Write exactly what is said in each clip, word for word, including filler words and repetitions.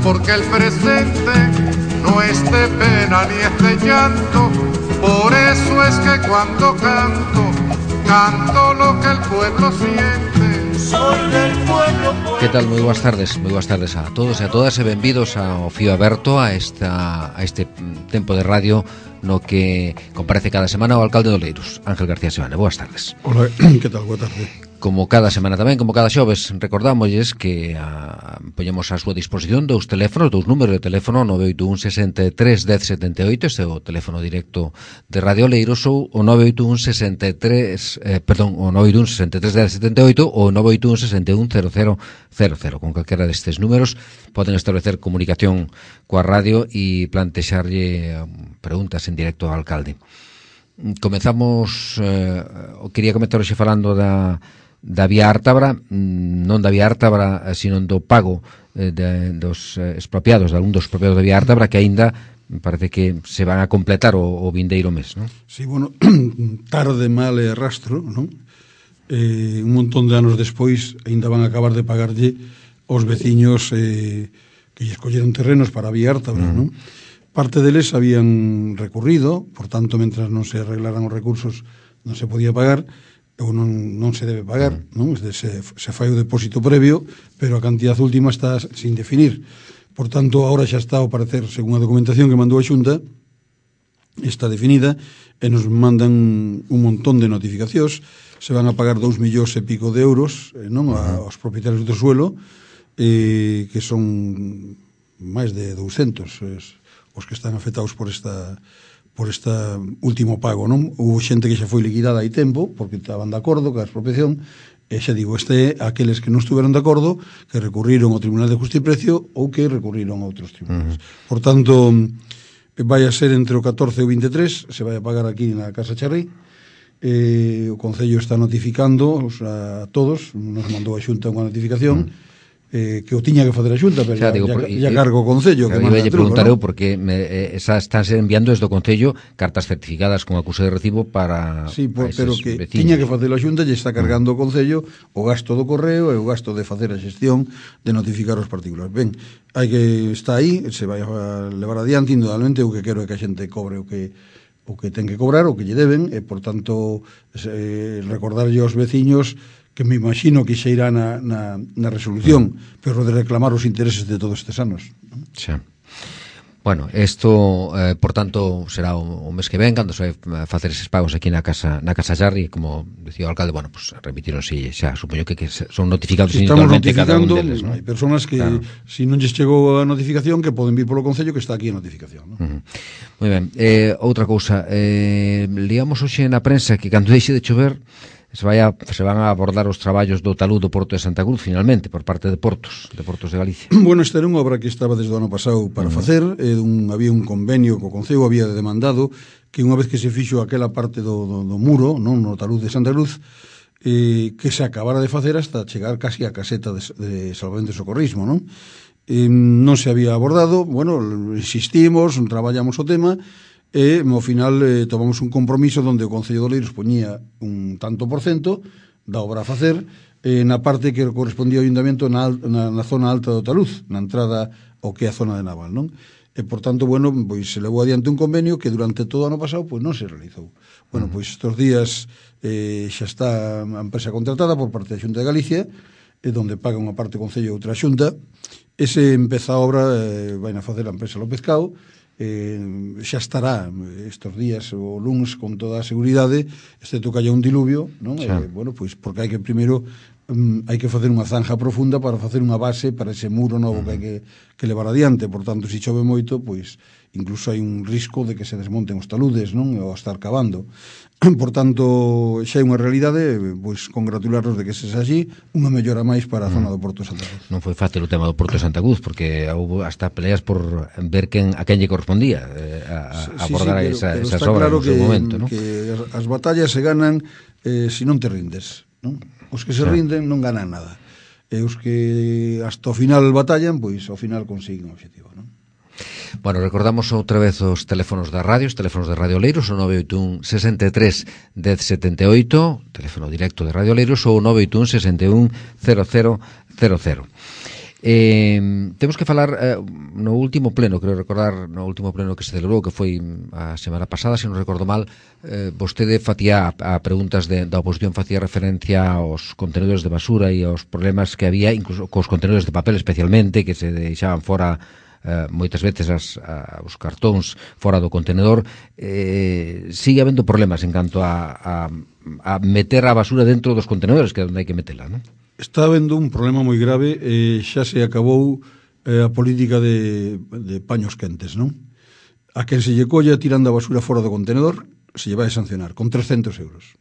porque el presente no es de pena ni es de llanto. Por eso es que cuando canto, canto lo que el pueblo siente. Soy del pueblo. Que tal? Moi boas tardes, moi boas tardes a todos e a todas e benvidos ao Fío Aberto, a esta a este tempo de radio no que comparece cada semana o alcalde de Oleiros, Ángel García Sebane. Boas tardes. Hola, que tal? Boa tarde. Como cada semana tamén, como cada xoves, recordámosles que a, poñemos a súa disposición dous teléfonos, dous números de teléfono, nove oito un sesenta e tres dez setenta e oito, este é o teléfono directo de Radio Oleiros, ou o nove oito un sesenta e tres, eh, perdón, o nove oito un sesenta e tres dez setenta e oito ou o nove oito un sesenta e un cero cero cero cero. Con calquera destes números poden establecer comunicación coa radio e plantexarlle preguntas en directo ao alcalde. Comezamos, eh, quería comentar hoxe falando da da vía Ártabra, non da vía Ártabra, sino do pago eh, de, dos eh, expropiados, de algún dos expropiados da vía Ártabra, que aínda parece que se van a completar o, o vindeiro mes, non? Sí, bueno, tarde, mal e rastro, non? Eh, un montón de anos despois aínda van a acabar de pagarlle aos veciños eh, que lle escolleron terrenos para a vía Ártabra, mm. non? Parte deles habían recurrido, por tanto, mentras non se arreglaran os recursos non se podía pagar, ou non, non se debe pagar, non? Se, se fai o depósito previo, pero a cantidad última está sin definir. Por tanto, ahora xa está ao parecer, según a documentación que mandou a Xunta, está definida, e nos mandan un montón de notificacións, se van a pagar dous millóns e pico de euros, eh, non? A, aos propietarios do suelo, eh, que son máis de douscentos eh, os que están afectados por esta... por este último pago, non? Houve xente que xa foi liquidada hai tempo, porque estaban de acordo ca expropiación, e xa digo, este é aqueles que non estuveron de acordo, que recurriron ao Tribunal de Justicia e Precio ou que recurriron a outros tribunales. Uh-huh. Por tanto, vai a ser entre o catorce e o veintitrés, se vai a pagar aquí na Casa Charri, eh, o Concello está notificando a todos, nos mandou a Xunta unha notificación, uh-huh. Eh, que o tiña que facer a Xunta, pero xa, digo, ya, ya cargo o Concello que manda a preguntar eu porque me, eh, esa estánse enviando desde o Concello cartas certificadas con acuse de recibo para sí, por, pero que vecinos. Tiña que facer a Xunta e está cargando o Concello o gasto do correo e o gasto de facer a xestión de notificar os particulares. Ben, hai que está aí, se vai a levar adiante, indudablemente o que quero é que a xente cobre o que o que ten que cobrar, o que lle deben, e por tanto eh, recordarlle aos veciños que me imagino que xa irá na, na, na resolución, pero de reclamar os intereses de todos estes anos. Xa. Bueno, isto, eh, por tanto, será o, o mes que ven, cando se vai facer eses pagos aquí na Casa na Casa Charri, como dicía o alcalde, bueno, pues remitíronse xa, supoño que, que son notificados si individualmente cada un deles, ¿no? Hai personas que, claro, si non lles chegou a notificación, que poden vir polo Concello, que está aquí a notificación, ¿no? Uh-huh. Moi ben. Eh, outra cousa, eh, liamos hoxe na prensa que cando deixe de chover se, vai a, se van a abordar os traballos do talud do Porto de Santa Cruz, finalmente, por parte de Portos, de Portos de Galicia. Bueno, esta era unha obra que estaba desde o ano pasado para uh-huh. facer, eh, un, había un convenio co Concello, había demandado que unha vez que se fixo aquela parte do, do, do muro, non, no talud de Santa Cruz, eh, que se acabara de facer hasta chegar casi a caseta de, de salvamento e socorrismo, non? Eh, non se había abordado, bueno, insistimos, traballamos o tema, e ao final eh, tomamos un compromiso onde o Concello de Oleiros poñía un tanto por cento da obra a facer eh, na parte que correspondía ao Ayuntamiento na, na, na zona alta do taluz, na entrada ao que é a zona de Naval, non? E por tanto, bueno, pois se levou adiante un convenio que durante todo o ano pasado pois non se realizou. Bueno, pois estes días eh, xa está a empresa contratada por parte da Xunta de Galicia, e donde paga unha parte o Concello e outra a Xunta. Ese empeza a obra, eh, vai a facer a empresa López Cao, eh, xa estará estes días o luns con toda a seguridade, excepto que haya un diluvio, non? Eh, bueno, pois porque hai que primeiro um, hai que facer unha zanja profunda para facer unha base para ese muro novo uh-huh. que hai que, que levar adiante. Por tanto, se chove moito, pois incluso hai un risco de que se desmonten os taludes, non? Ou estar cavando. Por tanto, xa é unha realidade, pois congratularnos de que se xa así, unha mellora máis para a zona do Porto de Santa Cruz. Non foi fácil o tema do Porto de Santa Cruz, porque houve hasta peleas por ver quen, a quen lle correspondía eh, a, a abordar sí, sí, esa, pero esas obras claro no seu que, momento, non? Que as, as batallas se ganan eh, se non te rindes, non? Os que se sí. rinden non ganan nada. E os que hasta o final batallan, pois ao final consiguen o objetivo, non? Bueno, recordamos outra vez os teléfonos da radio, os teléfonos de Radio Oleiros, o nove oito un sesenta e tres dez setenta e oito, teléfono directo de Radio Oleiros, ou o nove oito un sesenta e un cero cero cero cero. Eh, temos que falar eh, no último pleno, creo recordar no último pleno que se celebrou, que foi a semana pasada, se non recordo mal, eh, vostede facía a, a preguntas de, da oposición, facía referencia aos contenedores de basura e aos problemas que había, incluso cos contenedores de papel especialmente, que se deixaban fora eh, moitas veces as, a, os cartóns fora do contenedor. Eh, sigue habendo problemas en canto a, a, a meter a basura dentro dos contenedores, que é onde hai que metela, non? Está habendo un problema moi grave, e xa se acabou eh, a política de, de paños quentes, non? A quen se lle colla tirando a basura fora do contenedor se lle vai a sancionar con trescentos euros.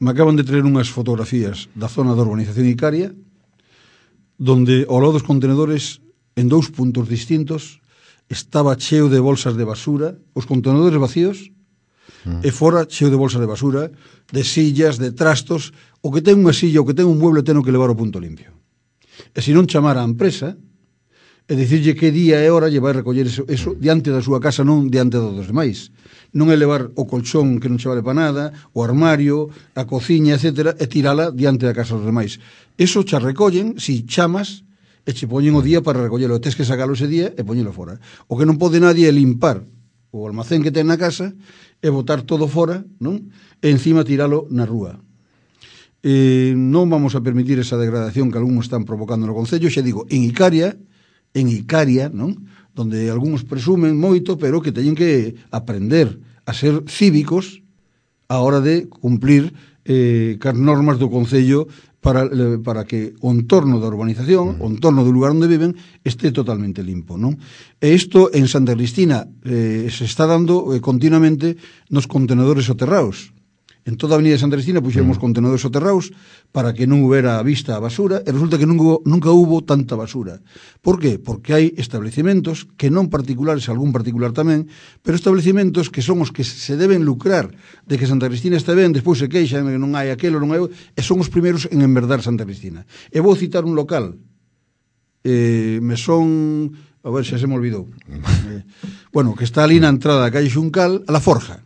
Me acaban de traer unhas fotografías da zona da urbanización Icaria, donde ao lado dos contenedores, en dous puntos distintos, estaba cheo de bolsas de basura, os contenedores vacíos, mm. e fora cheo de bolsas de basura, de sillas, de trastos. O que ten unha silla, o que ten un mueble, ten que levar ao punto limpio. E se non chamar a empresa e dicirlle que día e hora lle vai recoller eso, eso diante da súa casa, non diante dos demais. Non é levar o colchón que non che vale para nada, o armario, a cociña, etcétera, e tirala diante da casa dos demais. Eso che recollen si chamas e che poñen o día para recollelo. Tes que sacalo ese día e poñelo fora. O que non pode nadie é limpar o almacén que ten na casa e botar todo fora, non? E encima tiralo na rúa. Eh, non vamos a permitir esa degradación que algúns están provocando no Concello, xa digo, en Icaria, en Icaria, non? Donde algúns presumen moito, pero que teñen que aprender a ser cívicos a hora de cumplir eh, as normas do Concello para, para que o entorno da urbanización, o entorno do lugar onde viven, este totalmente limpo, non? E isto en Santa Cristina eh, se está dando eh, continuamente nos contenedores soterrados. En toda a avenida de Santa Cristina puxemos mm. contenedores soterrados para que non houbera a vista a basura, e resulta que nunca, nunca hubo tanta basura. Por qué? Porque hai establecimentos que non particulares, algún particular tamén, pero establecimentos que son os que se deben lucrar de que Santa Cristina está ben, despois se queixan que non hai aquelo, non hai, e son os primeiros en enverdar Santa Cristina. E vou citar un local, eh, me son, a ver, xa se me olvidou, eh, bueno, que está ali na entrada da calle Xuncal, a La Forja,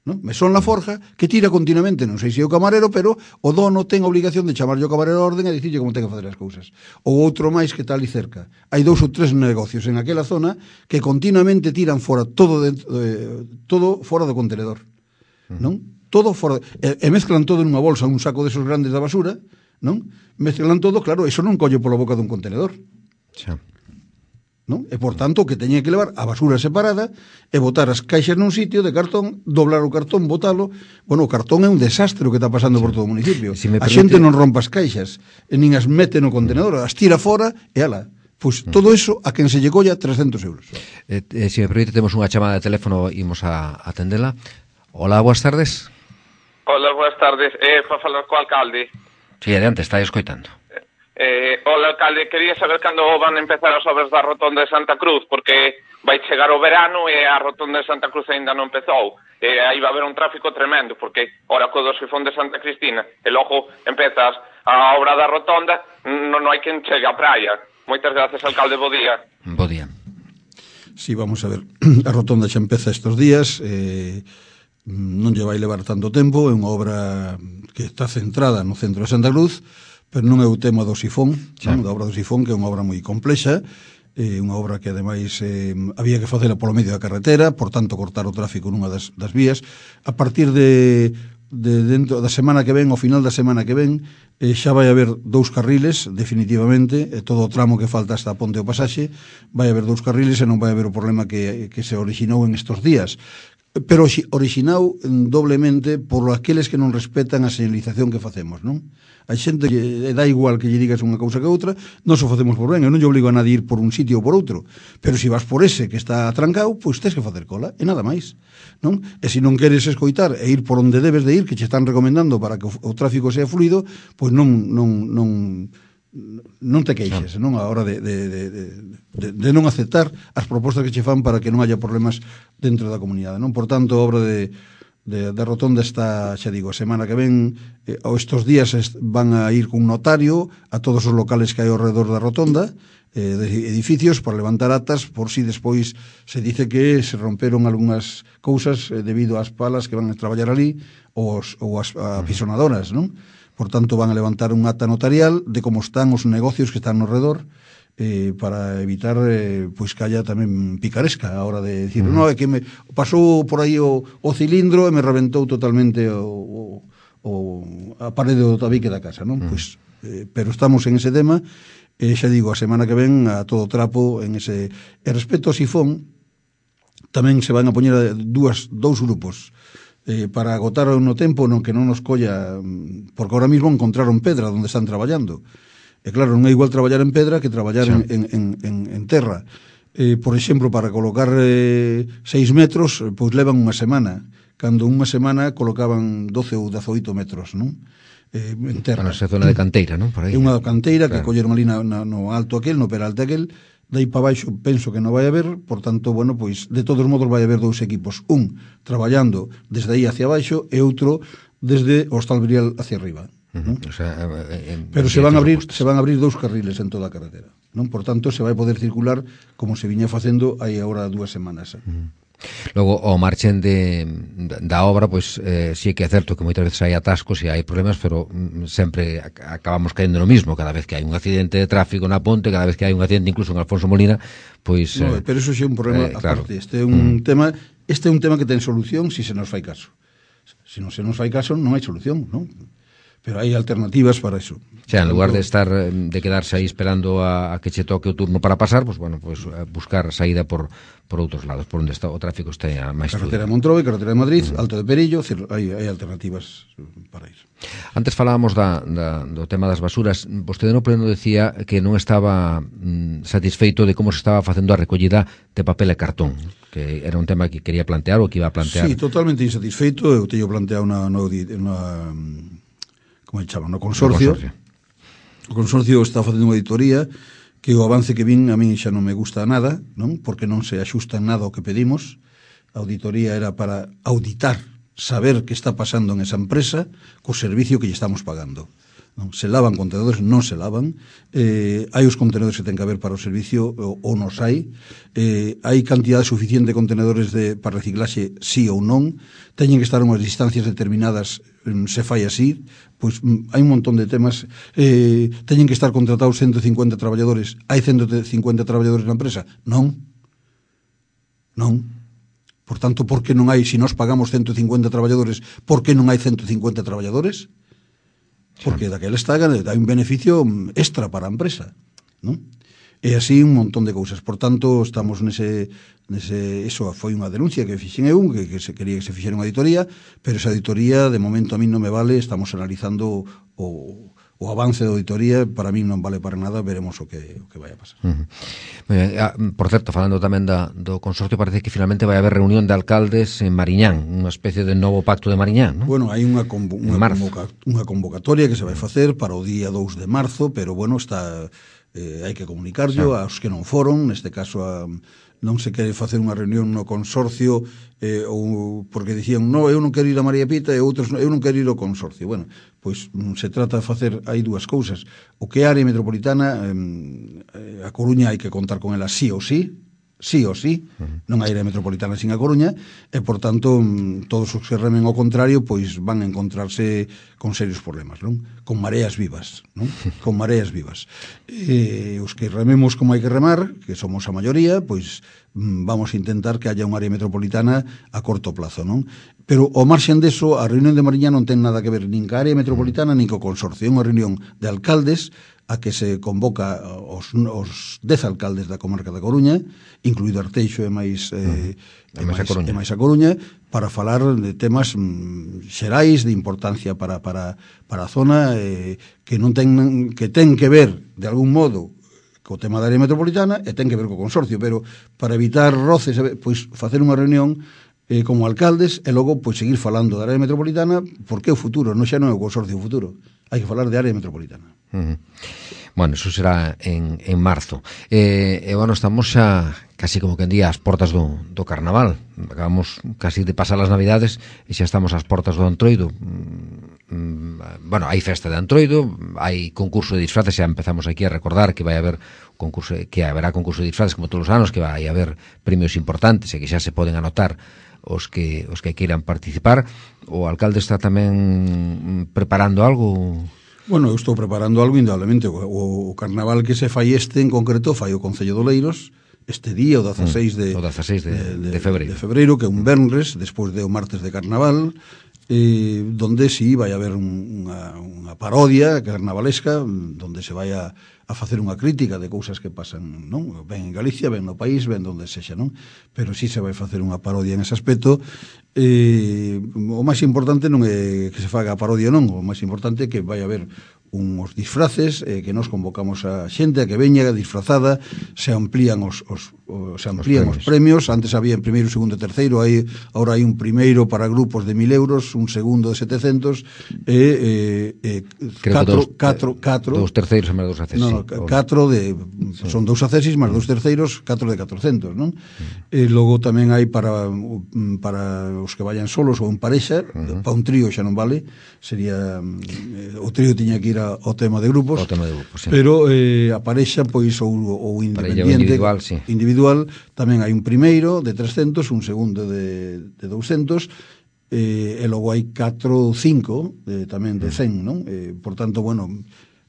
¿no? Mesón La Forja, que tira continuamente, non sei se é o camarero, pero o dono ten a obligación de chamarlle o camarero a orden e dicirlle como ten que facer as cousas. Ou outro máis que está ali cerca. Hai dous ou tres negocios en aquela zona que continuamente tiran fora todo dentro, eh, todo fora do contenedor, non? Todo fora, e, e mezclan todo nunha bolsa, un saco desos grandes da basura, non? Mezclan todo, claro, eso non colle pola boca dun contenedor. Xa. Non? E, por tanto, que teña que levar a basura separada e botar as caixas nun sitio de cartón, doblar o cartón, botalo. Bueno, o cartón é un desastre o que está pasando sí. por todo o municipio. Si a permite... xente non rompa as caixas, e nin as mete no contenedor, as tira fora e ala. Pois pues, todo eso a quen se lle colla trescentos euros. Eh, eh, se me permite, temos unha chamada de teléfono, imos a atendela. Hola, boas tardes. Hola, boas tardes. Eh, para falar co alcalde. Si, sí, adiante, está escoitando. Eh, hola, alcalde, quería saber cando van a empezar as obras da rotonda de Santa Cruz, porque vai chegar o verano e a rotonda de Santa Cruz ainda non empezou. E aí va a haber un tráfico tremendo, porque ora co do sifón de Santa Cristina, e logo empezas a obra da rotonda, non hai quen chegue á praia. Moitas gracias, alcalde, bo día. Bo día. Sí, vamos a ver, a rotonda xa empeza estes días, eh, non lle vai levar tanto tempo, é unha obra que está centrada no centro de Santa Cruz, pero non é o tema do sifón, sí. non, da obra do sifón, que é unha obra moi complexa, eh, unha obra que ademais eh, había que facela polo medio da carretera, por tanto cortar o tráfico nunha das, das vías. A partir de, de dentro da semana que ven, ao final da semana que ven, eh, xa vai haber dous carriles, definitivamente, e todo o tramo que falta hasta a Ponte o Pasaxe, vai haber dous carriles e non vai haber o problema que, que se orixinou en estos días. Pero orixinado doblemente por aqueles que non respetan a señalización que facemos, non? A xente lle dá igual que lle digas unha cousa que outra, non o facemos por ben, eu non lle obligo a nadie ir por un sitio ou por outro, pero se vas por ese que está atrancado, pois tens que facer cola, e nada máis, non? E se non queres escoitar e ir por onde debes de ir, que che están recomendando para que o, o tráfico sea fluido, pois non non non non te queixes, non? A hora de, de, de, de, de non aceptar as propostas que che fan para que non haya problemas dentro da comunidade, non? Por tanto, a obra de, de, de rotonda está, xa digo, a semana que ven, eh, ou estos días est, van a ir cun notario a todos os locales que hai ao redor da rotonda, eh, de edificios, para levantar atas, por si despois se dice que se romperon algunhas cousas eh, debido ás palas que van a traballar ali, ou, os, ou as apisonadoras, non? por tanto van a levantar un acta notarial de como están os negocios que están no redor, eh, para evitar eh, pois que haya tamén picaresca a hora de decir, uh-huh. no, é que me pasou por aí o, o cilindro e me reventou totalmente o, o, o a parede do tabique da casa, non? Uh-huh. Pois, eh, pero estamos en ese tema, e xa digo, a semana que ven a todo trapo en ese... E respecto ao sifón, tamén se van a poñer a dúas, dous grupos eh, para agotar no tempo non que non nos colla, porque ahora mismo encontraron pedra onde están traballando. E claro, non é igual traballar en pedra que traballar sí. en, en, en, en terra. Eh, por exemplo, para colocar eh, seis metros, pois levan unha semana, cando unha semana colocaban doce ou dezoito metros, non? Eh, en terra. Para esa zona de canteira, non? Por aí. É unha canteira claro. que colleron ali na, na, no alto aquel, no peralte aquel, dai para baixo penso que non vai haber, por tanto, bueno, pois de todos modos vai haber dous equipos, un traballando desde aí hacia baixo e outro desde o Hostalbrial hacia arriba. Uh-huh. O sea, en, pero se van a abrir se van a abrir dous carriles en toda a carretera, non? Por tanto, se vai poder circular como se viña facendo hai agora dúas semanas. Uh-huh. Logo, o marchen de, da obra, pois, eh, sí que é certo que moitas veces hai atascos e hai problemas, pero mm, sempre acabamos caendo no mismo. Cada vez que hai un accidente de tráfico na ponte, cada vez que hai un accidente incluso en Alfonso Molina, pois... No, eh, pero eso é un problema eh, aparte. Claro. Este é un mm. tema este é un tema que ten solución se si se nos fai caso. Se non se nos fai caso, non hai solución, non? Pero hai alternativas para eso. O sea, en lugar de estar de quedarse aí esperando a, a que che toque o turno para pasar, pues bueno, pues buscar saída por por outros lados, por onde está o tráfico está máis fluido. Carretera de Montroi, carretera de Madrid, uh-huh. Alto de Perillo, hai, hai alternativas para iso. Antes falábamos da, da, do tema das basuras. Vostede no pleno decía que non estaba mm, satisfeito de como se estaba facendo a recollida de papel e cartón, que era un tema que quería plantear ou que iba a plantear. Sí, totalmente insatisfeito. Eu teño planteado na, na, na como se chama, no consorcio. no consorcio. O consorcio está facendo unha auditoría que o avance que vin a min xa non me gusta nada, non? Porque non se axusta en nada ao que pedimos. A auditoría era para auditar, saber que está pasando en esa empresa co servicio que lle estamos pagando. Non? Se lavan contenedores, non se lavan. Eh, hai os contenedores que ten que haber para o servicio ou, ou nos hai. Eh, hai cantidade suficiente de contenedores de, para reciclaxe sí ou non. Teñen que estar unhas distancias determinadas, se fai así. Pois hai un montón de temas. Eh, teñen que estar contratados ciento cincuenta traballadores. Hai ciento cincuenta traballadores na empresa? Non. Non. Por tanto, por que non hai, se nós pagamos ciento cincuenta traballadores, por que non hai ciento cincuenta traballadores? Porque daquela está hai un beneficio extra para a empresa, non? E así un montón de cousas. Por tanto, estamos nese, nese eso foi unha denuncia que fixen eu, que, que se quería que se fixera unha auditoría, pero esa auditoría de momento a mí non me vale. Estamos analizando o, o avance da auditoría, para mí non vale para nada, veremos o que, o que vai a pasar. Uh-huh. Ben, por certo, falando tamén da, do consorcio, parece que finalmente vai haber reunión de alcaldes en Mariñán, unha especie de novo pacto de Mariñán, non? Bueno, hai unha, convo, unha, convoca, unha convocatoria que se vai facer para o día dous de marzo, pero bueno, está eh, hai que comunicarlo sí. aos que non foron, neste caso a, non se quere facer unha reunión no consorcio eh, ou porque dicían, no, eu non quero ir a María Pita e outros, eu non quero ir ao consorcio. Bueno, pois se trata de facer, hai dúas cousas. O que é a área metropolitana, eh, a Coruña hai que contar con ela sí ou sí, sí ou sí, uh-huh. non hai área metropolitana sin a Coruña, e, por tanto, todos os que remen ao contrario, pois van a encontrarse con serios problemas, non? Con mareas vivas, non? Con mareas vivas. E os que rememos como hai que remar, que somos a maioría, pois vamos a intentar que haya unha área metropolitana a corto plazo, non? Pero ao marxen deso, a reunión de Mariñán non ten nada que ver nin ca área metropolitana nin co consorcio. É unha reunión de alcaldes a que se convoca os, os dez alcaldes da comarca da Coruña, incluído Arteixo e máis, eh, e máis, a, e máis a Coruña, para falar de temas mm, xerais de importancia para, para, para a zona, eh, que non ten que ten que ver, de algún modo, co tema da área metropolitana e ten que ver co consorcio, pero para evitar roces, pois facer unha reunión eh, como alcaldes e logo pois seguir falando da área metropolitana, porque é o futuro, non xa non é o consorcio o futuro. Hai que falar de área metropolitana. Uh-huh. Bueno, eso será en, en marzo. E, eh, bueno, estamos xa casi como que en día ás portas do, do carnaval. Acabamos casi de pasar as navidades e xa estamos ás portas do Entroido. Mm, bueno, hai festa de Antroido, hai concurso de disfraces, xa empezamos aquí a recordar que vai haber concurso, que haberá concurso de disfraces como todos os anos, que vai haber premios importantes e que xa se poden anotar os que os que queiran participar. O alcalde está tamén preparando algo? Bueno, eu estou preparando algo indudablemente. O, o carnaval que se fai este en concreto fai o Concello de Oleiros este día, o dezaseis de, mm, o dezaseis de, de, de, de febreiro. de febreiro, que é un venres, despois de o martes de carnaval, eh, donde si sí, vai haber un, unha, unha parodia carnavalesca, donde se vai a, a facer unha crítica de cousas que pasan, non? Ben en Galicia, ben no país, ben donde sexa, non? Pero si sí se vai facer unha parodia en ese aspecto. Eh, o máis importante non é que se faga a parodia, non, o máis importante é que vai haber uns disfraces, eh, que nos convocamos a xente a que veña disfrazada, se amplían os, os, os se amplían os premios. os premios, antes había en primeiro, segundo e terceiro, hai, ahora hai un primeiro para grupos de mil euros, un segundo de setecentos, e eh, eh, catro, catro, catro, dous terceiros e máis dous accesis. No, no, catro de, sí. Son dous accesis máis dous terceiros, catro de catrocentos, non? Mm. E logo tamén hai para para os que vayan solos ou en parexa, uh -huh. Para un trío xa non vale, sería eh, o trío tiña que ir ao tema de grupos, tema de grupos, sí. Pero eh, a parexa pois ou, ou independiente individual, sí. individual tamén hai un primeiro de trescentos, un segundo de, de douscentos, eh, e logo hai catro ou cinco eh, tamén de cen, non? Eh, por tanto, bueno,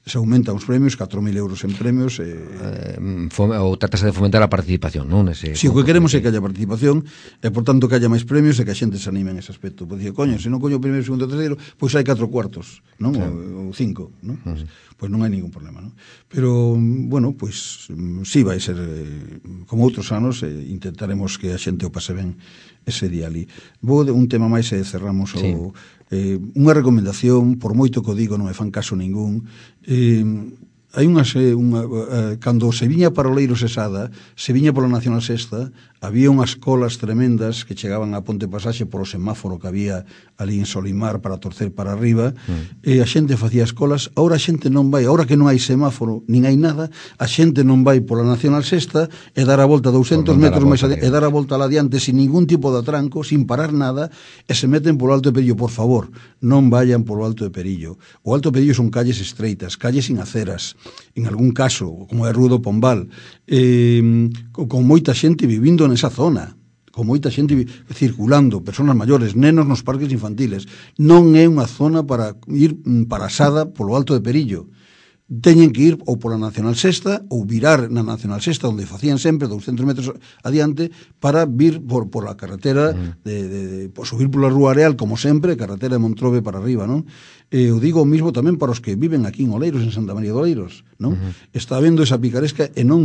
se aumentan os premios, catro mil euros en premios, eh, eh, ou tratase de fomentar a participación, non? Ese, si, o que queremos é que haya participación e, por tanto, que haya máis premios e que a xente se anime en ese aspecto. Pois dice, coño, se non coño o primeiro, segundo e terceiro, pois hai catro cuartos, non? Sí. Ou, ou cinco, non? Uh -huh. Pois non hai ningún problema, non? Pero, bueno, pois si vai ser eh, como outros anos, eh, intentaremos que a xente o pase ben ese día ali. Vou de un tema máis e cerramos o... Sí. Eh, unha recomendación, por moito que o digo non me fan caso ningún, eh, hai unha, unha eh, cando se viña para Oleiros e Sada, se viña pola Nacional Sexta, había unhas colas tremendas que chegaban a Ponte Pasaxe por o semáforo que había ali en Solimar para torcer para arriba, mm. e a xente facía as colas. Ahora a xente non vai, ahora que non hai semáforo nin hai nada, a xente non vai pola Nacional Sexta e dar a volta douscentos metros máis adiante, e dar a volta adiante sin ningún tipo de atranco, sin parar nada, e se meten polo Alto de Perillo. Por favor, non vayan polo Alto de Perillo. O Alto de Perillo son calles estreitas, calles sin aceras, en algún caso, como é Rúa do Pombal, eh, con moita xente vivindo nesa zona, con moita xente circulando, persoas maiores, nenos nos parques infantiles. Non é unha zona para ir parasada polo Alto de Perillo. Teñen que ir ou pola Nacional Sexta ou virar na Nacional Sexta, onde facían sempre douscentos metros adiante, para vir por, por a carretera de, de, de, por subir pola Rúa Areal, como sempre, carretera de Montrobe para arriba, non? E eu digo o mismo tamén para os que viven aquí en Oleiros, en Santa María de Oleiros, non? Uh -huh. Está habendo esa picaresca e non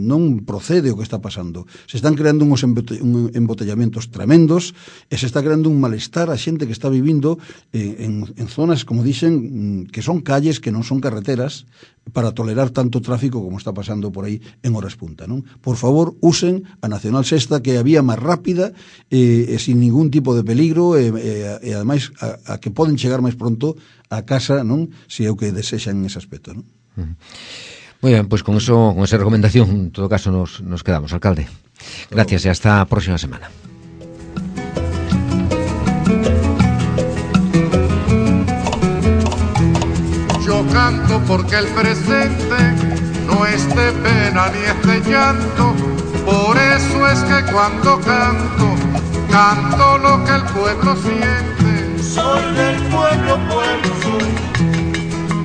non procede o que está pasando. Se están creando uns embotellamentos tremendos e se está creando un malestar a xente que está vivindo en, en, en zonas, como dixen, que son calles, que non son carreteras, para tolerar tanto tráfico como está pasando por aí en horas punta, non? Por favor, usen a Nacional Sexta, que é a vía máis rápida e, e sin ningún tipo de peligro, e, e, e ademais a, a que poden chegar máis pronto a casa, non? Se é o que desexan en ese aspecto, non? Uh -huh. Moi ben, pois con eso, con esa recomendación, en todo caso nos, nos quedamos, alcalde. Gracias e hasta a próxima semana. Yo canto porque el presente no es de pena ni es de llanto, por eso es que cuando canto, canto lo que el pueblo siente. Soy del pueblo, pueblo soy,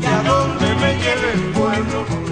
y a donde me lleve el pueblo